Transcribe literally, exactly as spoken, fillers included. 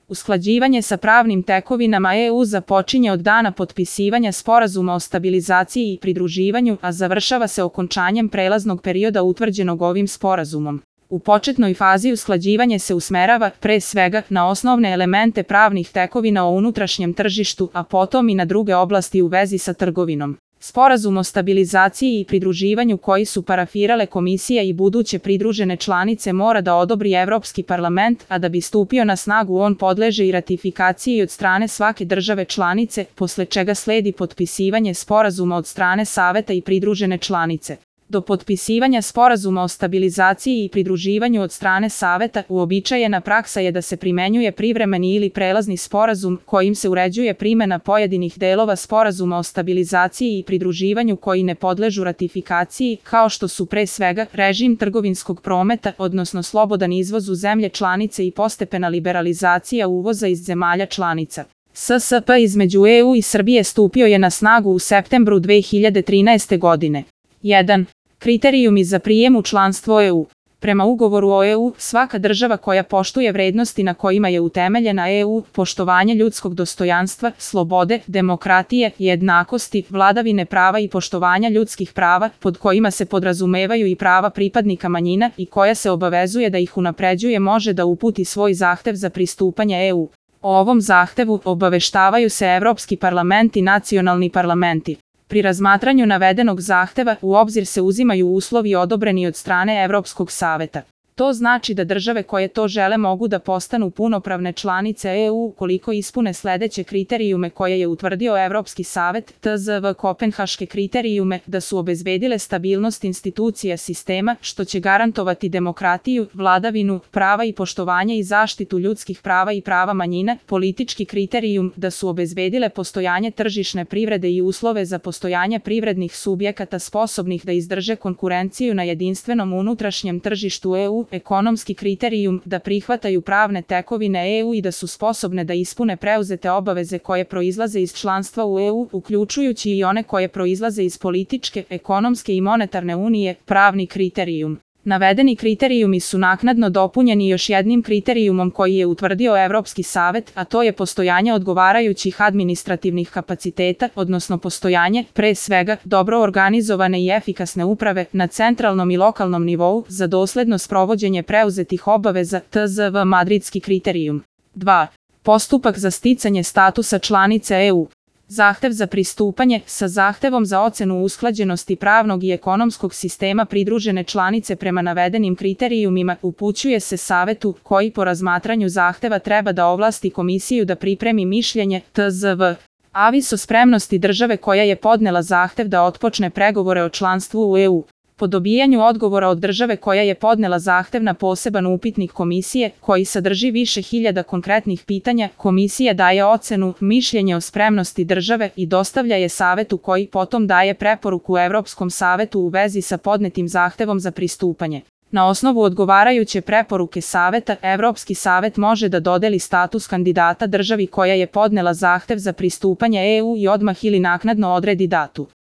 Usklađivanje sa pravnim tekovinama E U započinje od dana potpisivanja Sporazuma o stabilizaciji i pridruživanju, a završava se okončanjem prelaznog perioda utvrđenog ovim sporazumom. U početnoj fazi usklađivanje se usmerava, pre svega, na osnovne elemente pravnih tekovina o unutrašnjem tržištu, a potom i na druge oblasti u vezi sa trgovinom. Sporazum o stabilizaciji i pridruživanju koji su parafirale Komisija i buduće pridružene članice mora da odobri Evropski parlament, a da bi stupio na snagu on podleže i ratifikaciji od strane svake države članice, posle čega sledi potpisivanje sporazuma od strane Saveta i pridružene članice. Do potpisivanja Sporazuma o stabilizaciji i pridruživanju od strane Saveta, uobičajena praksa je da se primenjuje privremeni ili prelazni sporazum, kojim se uređuje primena pojedinih delova Sporazuma o stabilizaciji i pridruživanju koji ne podležu ratifikaciji, kao što su pre svega režim trgovinskog prometa, odnosno slobodan izvoz u zemlje članice i postepena liberalizacija uvoza iz zemalja članica. S S P između E U i Srbije stupio je na snagu u septembru dve hiljade trinaeste. godine. jedan. Kriterijumi za prijem u članstvo E U. Prema ugovoru o E U, svaka država koja poštuje vrednosti na kojima je utemeljena E U, poštovanje ljudskog dostojanstva, slobode, demokratije, jednakosti, vladavine prava i poštovanja ljudskih prava, pod kojima se podrazumevaju i prava pripadnika manjina i koja se obavezuje da ih unapređuje, može da uputi svoj zahtev za pristupanje E U. O ovom zahtevu obaveštavaju se Evropski parlament i nacionalni parlamenti. Pri razmatranju navedenog zahteva u obzir se uzimaju uslovi odobreni od strane Evropskog saveta. To znači da države koje to žele mogu da postanu punopravne članice E U ukoliko ispune sledeće kriterijume koje je utvrdio Evropski savet, T Z V Kopenhaške kriterijume, da su obezbedile stabilnost institucija sistema, što će garantovati demokratiju, vladavinu prava i poštovanje i zaštitu ljudskih prava i prava manjina, politički kriterijum, da su obezbedile postojanje tržišne privrede i uslove za postojanje privrednih subjekata sposobnih da izdrže konkurenciju na jedinstvenom unutrašnjem tržištu E U, ekonomski kriterijum, da prihvataju pravne tekovine E U i da su sposobne da ispune preuzete obaveze koje proizlaze iz članstva u E U, uključujući i one koje proizlaze iz političke, ekonomske i monetarne unije, pravni kriterijum. Navedeni kriterijumi su naknadno dopunjeni još jednim kriterijumom koji je utvrdio Evropski savet, a to je postojanje odgovarajućih administrativnih kapaciteta, odnosno postojanje, pre svega, dobro organizovane i efikasne uprave na centralnom i lokalnom nivou za dosledno sprovođenje preuzetih obaveza, T Z V Madridski kriterijum. dva. Postupak za sticanje statusa članice E U. Zahtev za pristupanje, sa zahtevom za ocenu usklađenosti pravnog i ekonomskog sistema pridružene članice prema navedenim kriterijumima, upućuje se Savetu, koji po razmatranju zahteva treba da ovlasti Komisiju da pripremi mišljenje, T Z V. Avis o spremnosti države koja je podnela zahtev da otpočne pregovore o članstvu u E U. Po dobijanju odgovora od države koja je podnela zahtev na poseban upitnik Komisije, koji sadrži više hiljada konkretnih pitanja, Komisija daje ocenu, mišljenje o spremnosti države i dostavlja je Savetu koji potom daje preporuku Evropskom savetu u vezi sa podnetim zahtevom za pristupanje. Na osnovu odgovarajuće preporuke Saveta, Evropski savet može da dodeli status kandidata državi koja je podnela zahtev za pristupanje E U i odmah ili naknadno odredi datu.